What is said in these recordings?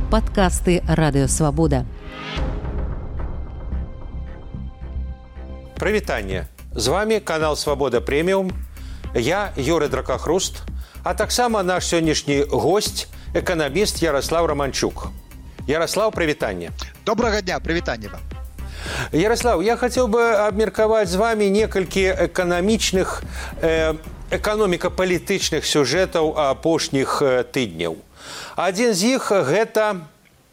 Падкасты Радыёвабода. Прывітанне. З вами канал Свабода Прэміум. Я Юрый Дракахруст, а таксама наш сённяшні госць, эканаміст Ярослав Романчук. Ярослав, прывітанне. Добрага дня, прывітанне вам. Ярослав, я хотел бы абмеркаваць з вами некалькі эканамічных, эканоміка-палітычных сюжэтаў апошніх тыдняў. Адзін з іх – гэта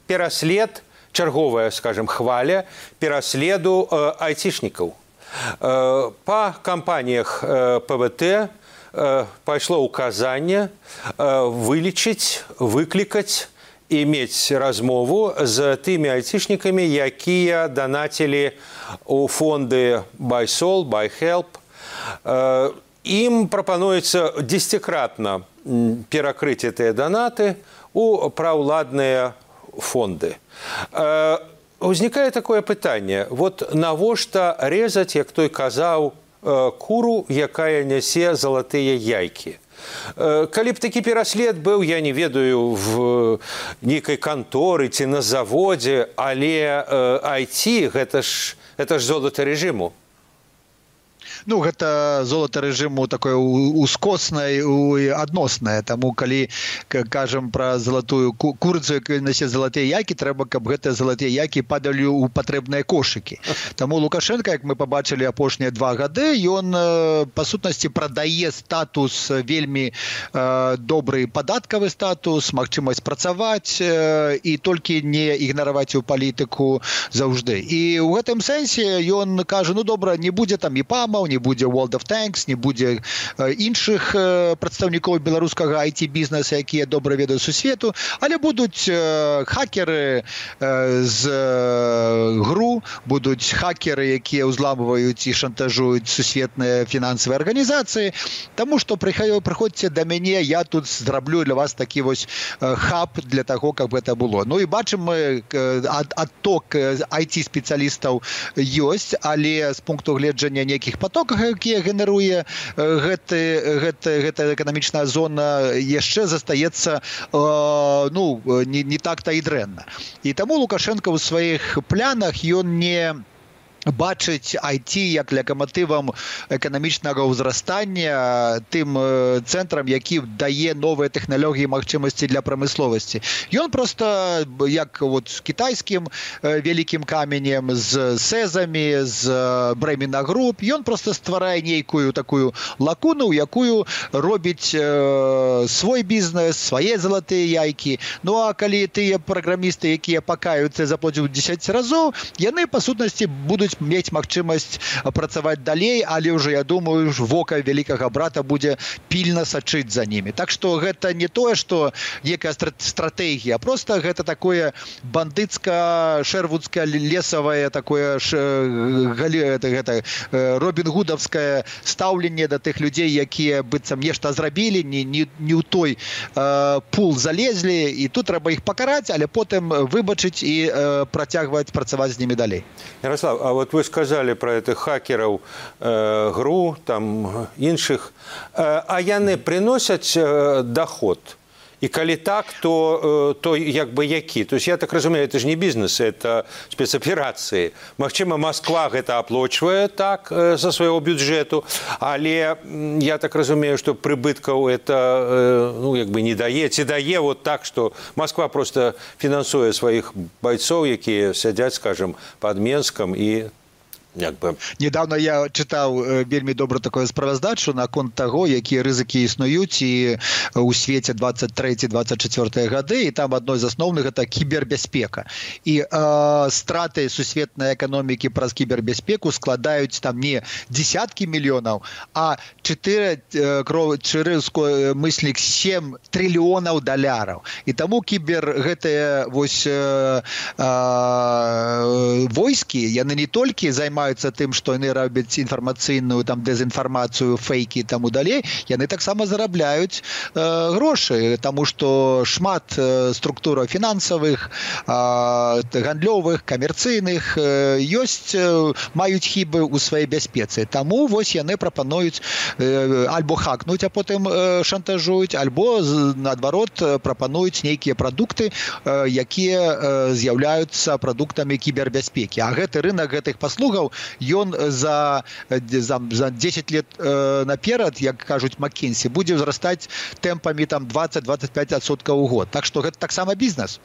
пераслед, чарговая, скажем, хваля пераследу айцішнікаў. Па кампаніях ПВТ пайшло ўказанне вылічыць, выклікаць і мець размову з тымі айцішнікамі, якія данацілі ў фонды BuySol, BuyHelp. Ім прапануецца дзесяцікратна перакрыць гэтыя данаты ў праўладныя фонды. Узнікае такое пытанне. Вот навошта резаць, як той казаў, куру, якая нясе залатыя яйкі? Калі б такі пераслед быў, я не ведаю, в нейкай канторы ці на заводзе, але IT – гэта ж золата рэжыму. Ну, гэта золата рэжыму такое ускоснае і адноснае. Таму, калі кажам пра залатую курыцу, якая нясе залатыя яйкі, трэба, каб гэтыя залатыя яйкі падалі ў патрэбныя кошыкі. Таму Лукашенко, як мы пабачылі апошнія 2 гады, ён, па сутнасці, прадае статус, вельмі добры падаткавы статус, магчымасць працаваць і толькі не ігнараваць у палітыку заўжды. І ў гэтым сэнсе ён кажа, ну, добра, не будзе там ІПАМаў, не будзе World of Tanks, не будзе іншых прадстаўнікоў беларускага IT-бізнеса, якія добра ведаюць сусвету, але будуць хакеры з ГРУ, будуць хакеры, якія ўзламваюць і шантажуюць сусветныя фінансавыя арганізацыі, таму што прыходзьце да мяне, я тут зраблю для вас такі вось хаб для таго, каб гэта было. Ну і бачым мы, адток IT-спецыялістаў ёсць, але з пункту гледжання нейкіх потокаў, якія генеруе гэта эканамічная зона, яшчэ застаецца не так-то і дрэнна. І таму Лукашенко ў сваіх планах ён не бачыць IT як лакаматывам эканамічнага ўзрастання, тым цэнтрам, які дае новыя тэхналогіі і магчымасці для прамысловасці. Ён проста, як вот з кітайскім вялікім каменем, з сэзамі, з Бремена Груп, ён проста стварае нейкую такую лакуну, якую робіць свой бізнес, свае залатыя яйкі. Ну а калі тыя праграмісты, якія пакаюцца і заплацяць 10 разоў, яны, па сутнасці, будуць мець магчымасць працаваць далей, але ўжо, я думаю, вока вялікага брата будзе пільна сачыць за німі. Так што гэта не тое, што некая стратэгія, а проста гэта такое бандыцка-шэрвудскае лесавае, такое робін-гудаўскае стаўленне да тых людзей, якія быццам нешта зрабілі, не ў той пул залезлі, і тут трэба іх пакараць, але потым выбачыць і працягваць працаваць з німі далей. Ярослав, а вот вы сказали про этих хакеров ГРУ, там іншых, а яны приносят доход? И коли так, то як бы які? То есть я так разумею, это же не бизнес, это спецоперации. Магчыма, Москва гэта аплачвае так со своего бюджету, але я так разумею, что прыбыткаў это як бы не дае, ці дае вот так, что Москва просто фінансуе своих бойцов, якія сядзяць, скажем, под Менском и Недавно я чытаў вельмі добра такое справаздачу наконт таго, якія рызыкі існуюць і ў свеце 23-24 гады, і там адной з асноўных гэта кібербяспека. І страты сусветнай эканомікі праз кібербяспеку складаюць там не десяткі мільёнаў, а 7 трыльёнаў даляраў. І таму кібер гэтыя войскі, яны не толькі займаюць займаюцца тым, што яны робяць інфармацыйную там дэзінфармацыю, фейкі і таму далей, яны таксама зарабляюць грошы, таму што шмат структураў фінансавых, гандлёвых, камерцыйных ёсць, маюць хібы ў сваёй бяспецы. Таму вось яны прапануюць альбо хакнуць, а потым шантажуюць, альбо наадварот прапануюць нейкія прадукты, якія з'яўляюцца прадуктамі кібербяспекі. А гэты рынок гэтых паслугаў, ён за 10 лет наперад, як кажуць Маккенсі, будзе ўзрастаць тэмпамі там 20-25% у год. Так што гэта таксама бізнес.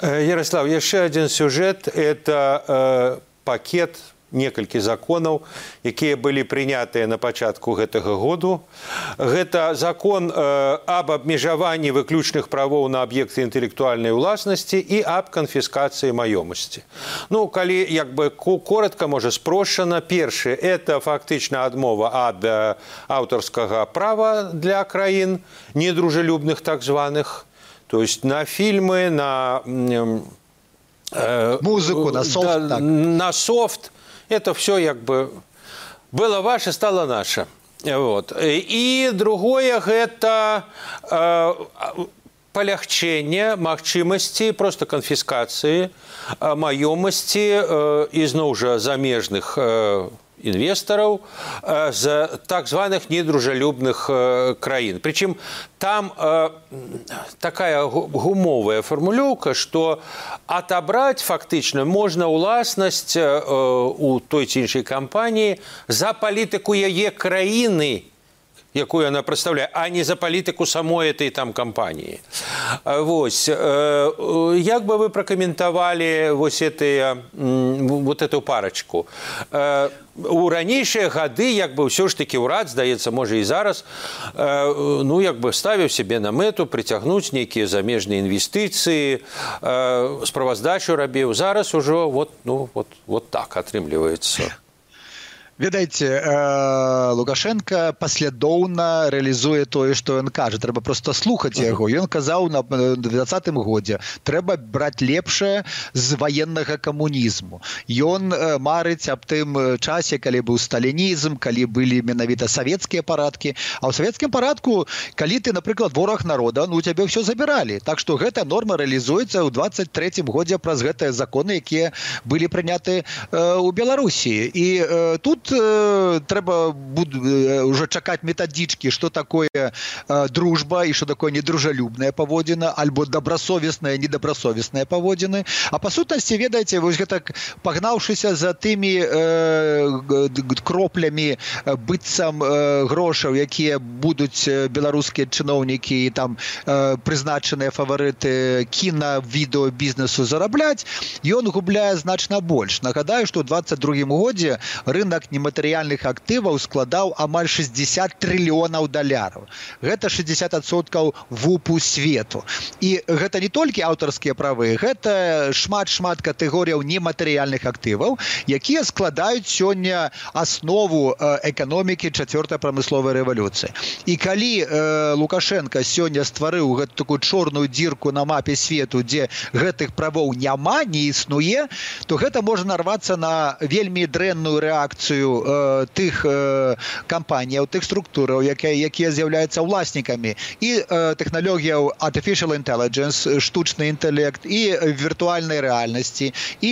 Ярослав, яшчэ адзін сюжэт – это пакет некалькі законаў, якія былі прынятыя на пачатку гэтага году. Гэта закон аб абмежаванні выключных правоў на аб'екты інтэлектуальнай уласнасці і аб канфіскацыі маёмасці. Ну, калі як бы коротка, можа, спрошчана, першае – это фактычна адмова ад аўтарскага права для краін недружелюбных так званых, то есть на фильмы, на музыку, на софт. На софт. Это все как бы было ваше, стало наше. Вот. И другое – это полягчение магчымасці просто канфіскацыі маёмасці ізноў жа замежных инвесторов з так званых недружелюбных краін. Причем там такая гумовая формулёўка, что отобрать фактично можно уласнасць у той ці іншай кампаніі за палітыку яе краіны, якую она представляет, а не за политику самой этой там компании. Вось. Як бы вы прокомментовали вот эту парочку? У ранейшыя гады, як бы ўсё ж таки ўрад, здаецца, можа і зараз, ну, як бы ставіў себе на мэту прыцягнуць нейкія замежныя інвестыцыі, справаздачу рабіў. Зараз ужо вот так атрымліваецца. Ведаеце, Лукашенко паслядоўна рэалізуе тое, што ён кажа. Трэба проста слухаць яго. Ён казаў на 2020 годзе, трэба браць лепшае з ваеннага камунізму. Ён марыць аб тым часе, калі быў сталінізм, калі былі менавіта савецкія парадкі. А ў савецкім парадку, калі ты, напрыклад, вораг народа, ну, у цябе ўсё забіралі. Так што гэта норма рэалізуецца ў 23 годзе праз гэтыя законы, якія былі прыняты ў Беларусі. І тут трэба уже чакаць метадички, что такое дружба и что такое недружелюбная паводзіна, альбо добросовестная, недобросовестная паводзіны. А па сутнасці, ведаеце, вось гэта пагнаўшыся за тымі кроплямі быццам грошаў, якія будуць беларускія чыноўнікі і там прызначаныя фаварыты кіна-відэо-бізнесу зарабляць, ён губляе значна больш. Нагадаю, што ў 22 годзе рынок нематэрыяльных актываў складаў амаль 60 трыльёнаў даляраў. Гэта 60% ВУПу свету. І гэта не толькі аўтарскія правы, гэта шмат катэгорыяў нематэрыяльных актываў, якія складаюць сёння аснову эканомікі 4-й прамысловай рэвалюцыі. І калі Лукашенко сёння стварыў гэту такую чорную дзірку на мапе свету, дзе гэтых правоў няма, не існуе, то гэта можа нарвацца на вельмі дрэнную рэакцыю тых кампаніяў, тых структураў, якія з'яўляюцца ўласнікамі і тэхналогіяў artificial intelligence, штучны інтэлект, і віртуальнай рэальнасці, і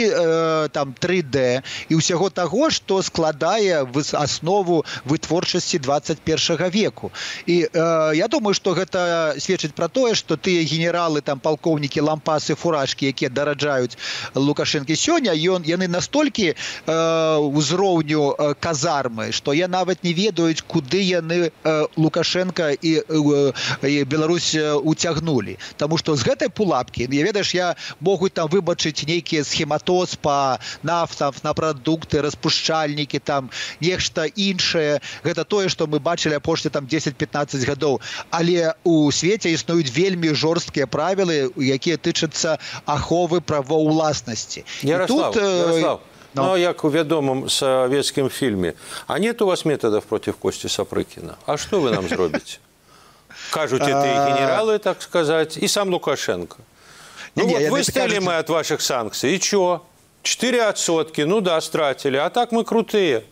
там 3D, і ўсяго таго, што складае аснову вытворчасці 21 веку. І я думаю, што гэта сведчыць пра тое, што тыя генералы, там палкоўнікі, лампасы, фуражкі, якія дараджаюць Лукашэнкі сёння, яны настолькі ўзроўню казармы, што я нават не ведаюць, куды яны Лукашенко і Беларусь уцягнулі. Таму што з гэтай пулапкі, ведаеш, я могуць там выбачыць нейкія схематоз па нафтам, на прадукты, распушчальнікі, там нешта іншае. Гэта тое, што мы бачылі апошнія там 10-15 гадоў. Але у свеце існуюць вельмі жорсткія правілы, якія тычацца аховы правоў уласнасці. Ярослав, ну, як у вядомым советскім фільме, а нет у вас методов против Кости Сапрыкина? А что вы нам зробіце? Кажуть эти генералы, так сказать, и сам Лукашенко. Ну вот выстояли мы от ваших санкций, и чё? 4%, ну да, стратили, а так мы крутые.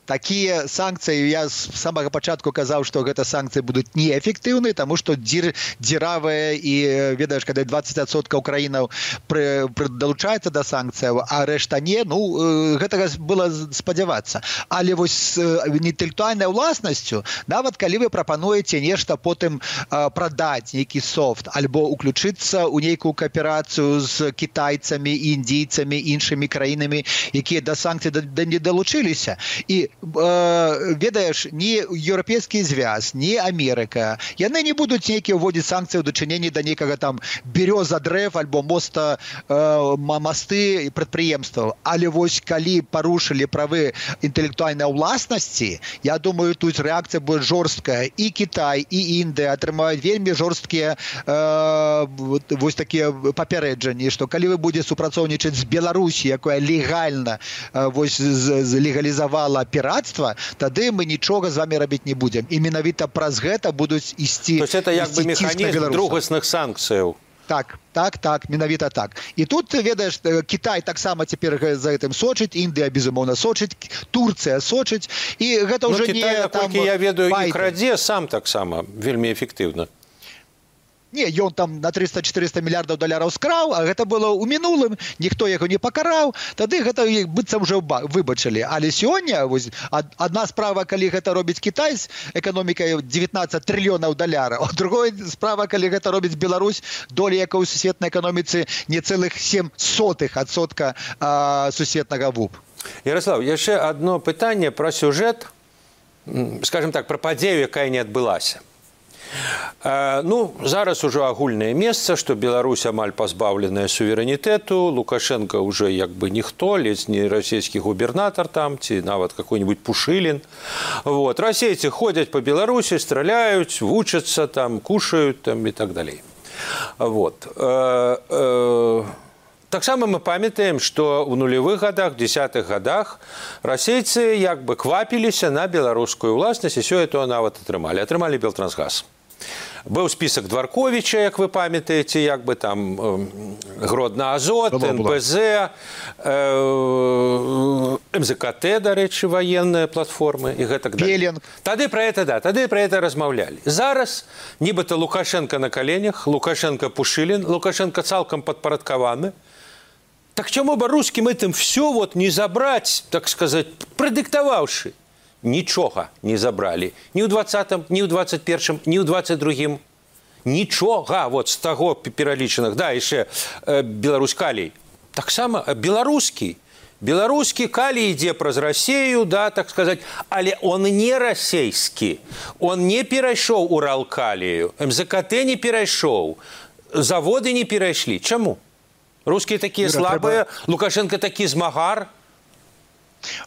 Такія санкцыі, я з самага пачатку казаў, што гэта санкцыі будуць неэфектыўныя, таму што дзіравыя і, ведаеш, калі 20% краінаў далучаецца да санкцыяў, а рэшта не, ну, гэтага было спадзявацца. Але вось інтэлектуальнай уласнасцю, нават калі вы прапануеце нешта потым прадаць, нейкі софт, альбо уключыцца ў нейкую кааперацыю з кітайцамі, індійцамі, іншымі краінамі, якія да санкцый не далучыліся, і ведаеш, ні Еўрапейскі звяз, ні Амерыка, яны не будуць нейкія ўводзіць санкцыі ў дачыненні да нейкага там бяроза дрэв альбо мосты і прадпрыемстваў. Але вось калі парушылі правы інтэлектуальнай уласнасці, я думаю, тут рэакцыя будзе жорсткая. І Кітай, і Індыя атрымаюць вельмі жорсткія вось такія папярэджанні, што калі вы будзе супрацоўнічаць з Беларусі, якая легальна вось легалізавала піратства, тады мы нічога з вами рабіць не будзем. І менавіта праз гэта будуць ісці. То есть это як бы механізм другасных санкцыяў. Так, менавіта так. І тут, ведаеш, Кітай таксама цяпер за гэтым сочыць, Індыя, безумоўна, сочыць, Турцыя сочыць, і гэта ўжо не Кітай, наколькі я ведаю, і крадзе сам таксама вельмі эфектыўна. Не, ён там на 300-400 мільярдаў даляраў скраў, а гэта было ў мінулым, ніхто яго не пакараў, тады гэта быццам уже выбачылі. Але сёння адна справа, калі гэта робіць Кітай з эканомікай 19 трыльёнаў даляраў, а другая справа, калі гэта робіць Беларусь, доля якой у сусветнай эканоміцы не цэлых 0,07% сусветнага ВУП. Ярослав, яшчэ адно пытанне пра сюжэт, скажем так, пра падзею, якая не адбылася. Ну, зараз ужо агульнае месца, што Беларусь амаль пазбаўленая суверэнітэту, Лукашенко уже як бы ніхто, ледзь не расійскі губернатар там, ці нават какой-нибудь Пушылін. Вот. Расейцы ходзяць па Беларусі, страляюць, вучацца там, кушаюць там і так далей. Вот. Таксама мы памятаем, што ў нулевых годах, 10-х годах расейцы як бы квапіліся на беларускую ўласнасць, і сёлета нават атрымалі Белтрансгаз. Быў спісак Дварковіча, як вы памятаеце, як бы там Гродна Азот, НПЗ, МЗКТ, дарэчы, военныя платформы і гэтак далей. Тады пра гэта размаўлялі. Зараз нібыта Лукашенко на коленях, Лукашенко Пушылін, Лукашенко цалкам падпарадкаваны. Так чаму бы русскім этим все вот не забраць, так сказать, прадыктаваўшы? Нічога не забралі. Ні ў 20-м, ні ў 21-м, ні ў 22-м. Нічога вот з таго пералічаных. Да, яшчэ Беларусь калій. Таксама беларускі. Беларускі калій ідзе праз Расею, да, так сказать, але он не расейскі. Он не перайшоў Уралкалію. МЗКТ не перайшоў. Заводы не перайшлі. Чаму? Рускія такія слабыя, Лукашенко такі змагар.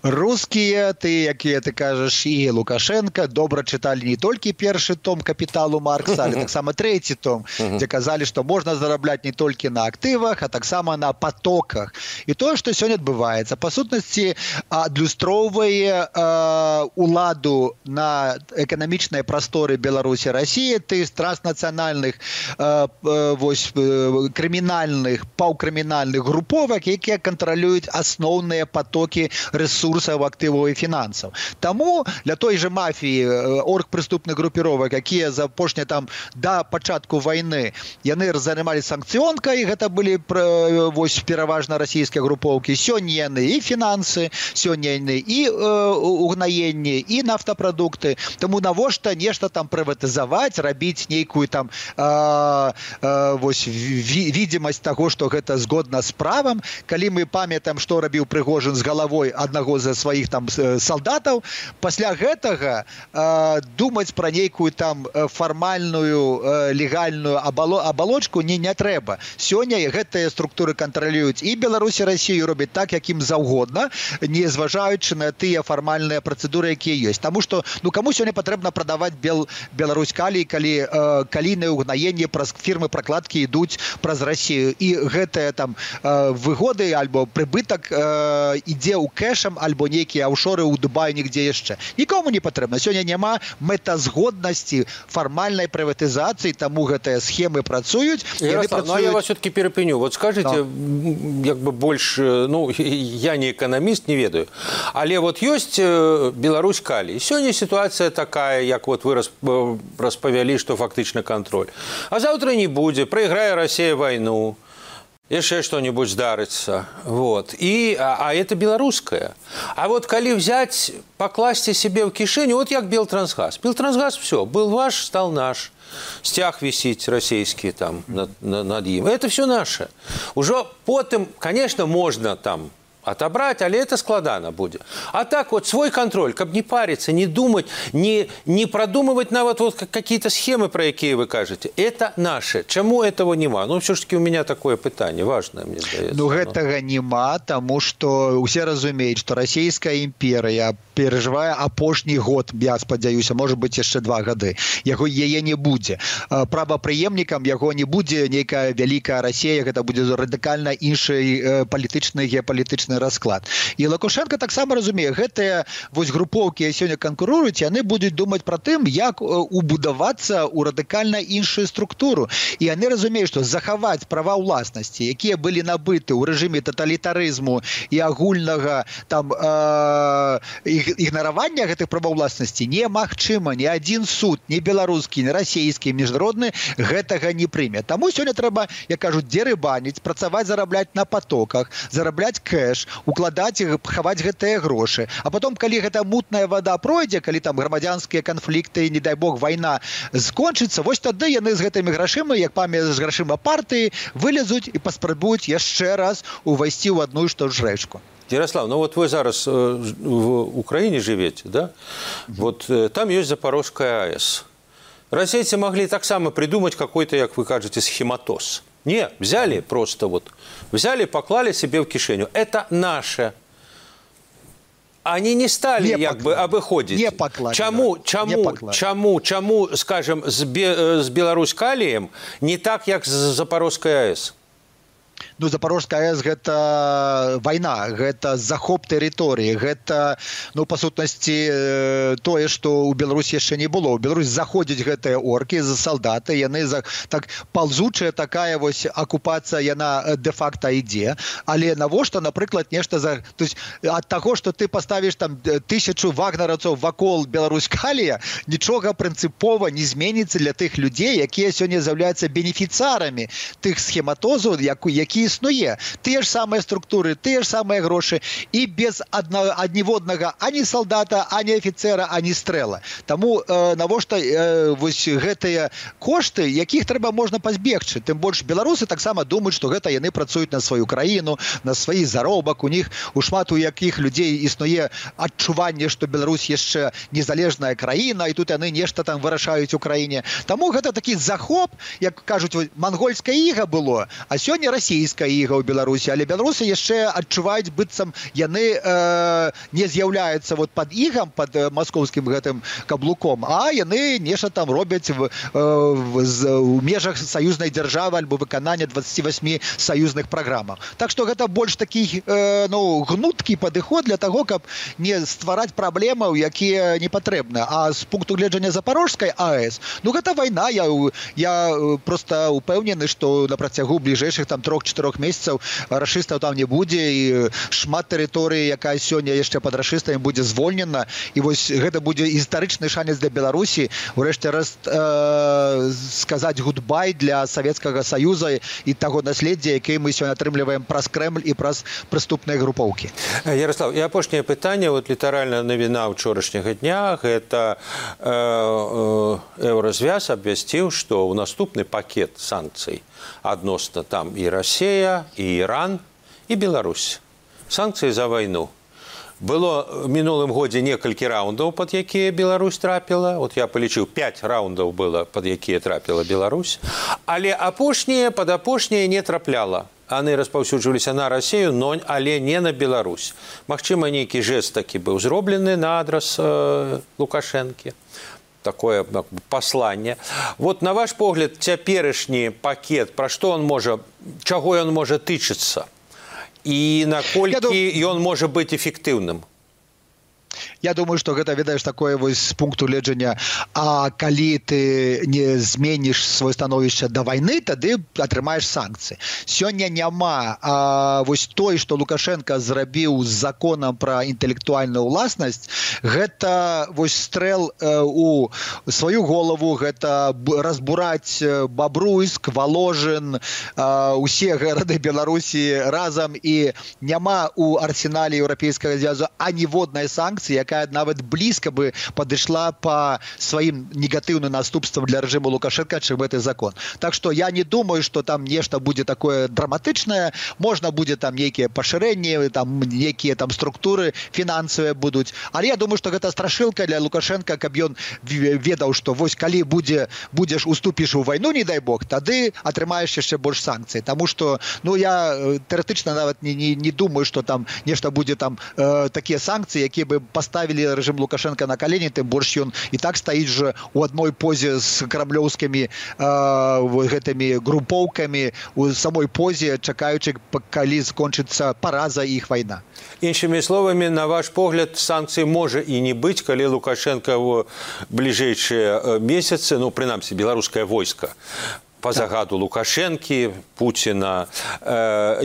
Рускія, якія ты кажаш, і Лукашенко добра чыталі не толькі першы том «Капіталу» Маркса, але таксама трэці том, дзе казалі, што можна зарабляць не толькі на актывах, а таксама на потоках. І тое, што сёння адбываецца, па сутнасці адлюстроўвае уладу на эканамічнай прасторы Беларусі, Расіі, ты з транснацыянальных крымінальных, паўкрымінальных груповак, якія кантралююць асноўныя потокі ресурсаў, актываў і фінансаў. Таму для той же мафіі, оргпрыступных групіровак, якія за апошнія там да пачатку вайны, яны займалі санкцыёнкай, гэта былі вось пераважна расійскія групоўкі. Сёння яны і фінансы, сёння яны і угнаенне, і нафтапрадукты. Таму навошта нешта там прыватызаваць, рабіць нейкую там вось відзімасць таго, што гэта згодна з правам. Калі мы памятаем, што рабіў Прыгожин з галавой аднаго з сваіх там салдатаў, пасля гэтага думаць пра нейкую там фармальную легальную абалочку не трэба. Сёння гэтыя структуры кантралююць і Беларусь, і Расію, робяць так, як ім заўгодна, не зважаючы на тыя фармальныя працэдуры, якія ёсць. Таму што, каму сёння патрэбна прадаваць Беларусь калій, калі калійнае угнаенне праз фірмы пракладкі ідуць праз Расію, і гэтыя там выгоды альбо прыбытак ідзе ў кэш кэшам альбо нейкія аўшоры ў Дубаі нігдзе яшчэ. Нікому не патрэбна. Сёння няма мэтазгоднасці фармальнай прыватызацыі, таму гэтыя схемы працуюць. Ярослав, ну я вас все-таки перепыню. Вот скажите, как бы больше, ну, я не экономист, не ведаю, але вот есть Беларусь калий. Сегодня ситуация такая, как вот вы расповели, что фактично контроль. А завтра не будет, проиграя Россия войну, еще что-нибудь здарится. Вот. А это белорусское. А вот коли взять, покласть себе в кишень, вот как Белтрансгаз. Белтрансгаз все, был ваш, стал наш. Стяг висит российский там над ним. Это все наше. Уже потом, конечно, можно там отобрать, але это складано будет. А так вот свой контроль, как не париться, не думать, не продумывать нават вот какие-то схемы, про какие вы кажете. Это наше. Чему этого нема? Ну, все-таки у меня такое питание важное, мне здаецца. Ну, гэтага нема, тому что усе разумеюць, что Российская імперыя перажывае апошні год, я спадзяюся, может быть, яшчэ 2 гады. Яе не будзе. Правапрыемнікам яго не будзе нейкая вялікая Россия, гэта будзе радыкальна іншы палітычны, геапалітычны расклад. І Лукашенко таксама разумее, гэтыя вось групоўкі сёння канкуруюць, яны будуць думаць пра тым, як убудавацца ў радыкальна іншую структуру. І яны разумеюць, што захаваць права ўласнасці, якія былі набыты ў рэжыме таталітарызму і агульнага там ігнаравання гэтых правоў уласнасці немагчыма. Ні адзін суд, ні беларускі, ні расійскі, міжнародны гэтага не прыме. Таму сёння трэба, як кажуць, дерыбаніць, працаваць, зарабляць на потоках, зарабляць кэш, укладаць, хаваць гэтыя грошы. А потом, калі гэта мутная вада пройдзе, калі там грамадзянскія канфлікты, не дай бог, вайна скончыцца, вось тады яны з гэтымі грашыма, як памяць з грашыма партыі, вылезуць і паспрабуюць яшчэ раз увайсці ў адну ж ту ж рэчку. Ярослав, ну вот вы зараз в Украине живете, да? Вот там есть Запорожская АЭС. Российцы могли так само придумать какой-то, как вы кажете, схематоз. Не, взяли просто вот, взяли, поклали себе в кишеню. Это наше. Они не стали как бы обыходить. Не поклали. Чему, скажем, с Беларусь-Калием не так, как с Запорожской АЭС? Ну, Запорожская АЭС – гэта вайна, гэта захоп тэрыторыі, гэта, ну, па сутнасці, тое, што ў Беларусі яшчэ не было. У Беларусь заходзяць гэтыя оркі, салдаты, яны так палзучая такая вось акупацыя, яна дэ-факта ідзе. Але навошта, напрыклад, нешта то есть ад таго, што ты паставіш там 1000 вагнераўцаў вакол Беларусь-Калія, нічога прынцыпова не зменіцца для тых людзей, якія сёння з'яўляюцца бенефіцыарамі тых схематозаў, які існуе. Тыя ж самыя структуры, тыя ж самыя грошы і без адніводнага ані салдата, ані афіцера, ані стрэла. Таму навошта вось гэтыя кошты, якіх трэба можна пазбегчы. Тым больш беларусы таксама думаюць, што гэта яны працуюць на сваю краіну, на свой заробак. У них у шмат у якіх людзей існуе адчуванне, што Беларусь яшчэ незалежная краіна, і тут яны нешта там вырашаюць у краіне. Таму гэта такі захоп, як кажуць, мангольская іга было, а сёння расійская іга ў Беларусі, але беларусы яшчэ адчуваюць, быццам яны не з'яўляюцца вот пад ігам, пад маскоўскім гэтым каблуком, а яны нешта там робяць у межах саюзнай дзяржавы альбо выканання 28 саюзных праграмаў. Так што гэта больш такі гнуткі падыход для таго, каб не ствараць праблемаў, якія не патрэбны. А з пункту гледжання Запорожскай АЭС, ну гэта вайна, я просто упэўнены, што на працягу бліжэйшых там 3-4 месяцаў рашыстаў там не будзе, і шмат тэрыторыі, якая сёння яшчэ пад рашыстамі, будзе звольнена, і вось гэта будзе гістарычны шанец для Беларусі урэшце раз сказаць гудбай для Савецкага Саюза і таго наследдзя, якое мы сёння атрымліваем праз Крэмль і праз прыступныя групоўкі. Ярослав, і апошняе пытанне, вот літаральна навіна ўчорашняга дня, гэта Еўразвяз абвясціў, што ў наступны пакет санкцый адносна там і Россия, і Іран, і Беларусь. Санкцыі за вайну. Было в мінулым годзе некалькі раундаў, пад якія Беларусь трапіла. Вот я полічыў, 5 раундаў было, пад якія трапіла Беларусь. Але пад апошняе не трапляла. Яны распаўсюджваліся на Россию, але не на Беларусь. Магчыма, нейкі жэст такі быў зроблены на адрас Лукашэнкі. Такое послание. Вот на ваш погляд, цяперашні пакет, пра што он можа, чаго ён можа тычыцца? і наколькі ён можа быць эфектыўным? Я думаю, што гэта, ведаеш, такое вось з пункту гледжання, а калі ты не зменіш сваё становішча да вайны, тады атрымаеш санкцыі. Сёння няма вось той, што Лукашенко зрабіў з законам пра інтэлектуальную ўласнасць, гэта вось стрэл у сваю голову, гэта разбураць Бабруйск, Воложин, усе гарады Беларусі разам, і няма ў арсенале Еўрапейскага звязу аніводнай санкцыі, якая нават блізка бы падышла па сваім негатыўным наступствам для рэжыму Лукашенка, чым гэты закон. Так што я не думаю, што там нешта будзе такое драматычнае, можна будзе там нейкія пашырэнні, там нейкія там структуры фінансавыя будуць, але я думаю, што гэта страшылка для Лукашенка, каб ён ведаў, што вось калі будзеш уступіш у вайну, не дай бог, тады атрымаеш яшчэ больш санкцый. Таму што, ну, я тэарэтычна нават не думаю, што там нешта будзе там такія санкцыі, якія бы поставили рэжым Лукашенко на колени, тым больш ён і так стаіць же у адной позе з крамлёўскімі гэтымі групоўкамі, у самой позе, чакаючы, калі скончыцца параза іх вайна. Іншымі словамі, на ваш погляд, санкцый можа і не быць, калі Лукашенко ў бліжэйшыя месяцы, ну, прынамсі, беларускае войска, по загаду Лукашенки, Путина,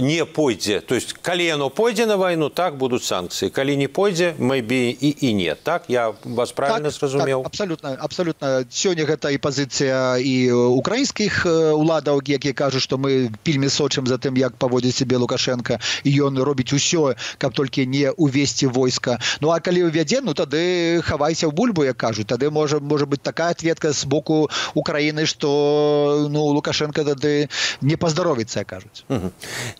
не пойдзе. То есть, калі яно пойдзе на войну, так будут санкции. Калі не пойдзе, maybe и нет. Так? Я вас правильно зразумеў? Так, абсолютно. Сёння гэта і пазіцыя і украінскіх уладаў, якія кажуць, што мы вельмі сочым за тым, як паводзіць сябе Лукашенко, і ён робіць усё, каб толькі не увесці войска. Ну, а калі увядзе, ну, тады хавайся ў бульбу, як кажуць. Тады можа быць такая ответка з боку Украіны, што, ну, Лукашенко тады не паздаровіцца, кажуць.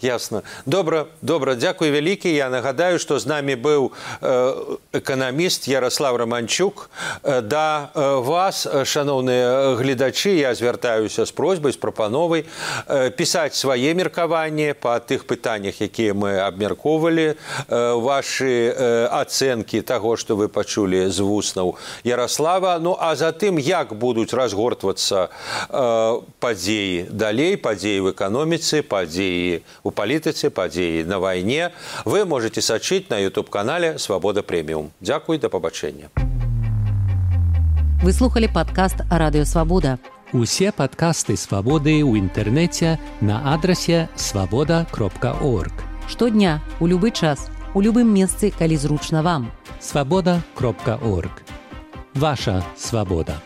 Ясно. Добра, дзякуй вялікі. Я нагадаю, што з намі быў эканаміст Ярослав Романчук. Да вас, шановныя гледачы, я звяртаюся з просьбай, з прапановай пісаць свае меркаванні па тых пытаннях, якія мы абмяркоўвалі, вашы ацэнкі таго, што вы пачулі з вуснаў Ярослава. Ну, а затым, як будуць разгортвацца падзеі далей, падзеі в эканоміцы, падзеі ў палітыцы, падзеі на вайне, вы можете сачыць на YouTube-канале «Свабода Прэміум». Дзякуй, да пабачэння. Вы слухали падкаст «Радыё Свабода». Усе падкасты «Свабоды» ў інтэрнэце на адрасе свабода.орг. Штодня, у любы час, у любым месцы, калі зручна вам. Свабода.орг. Ваша свабода.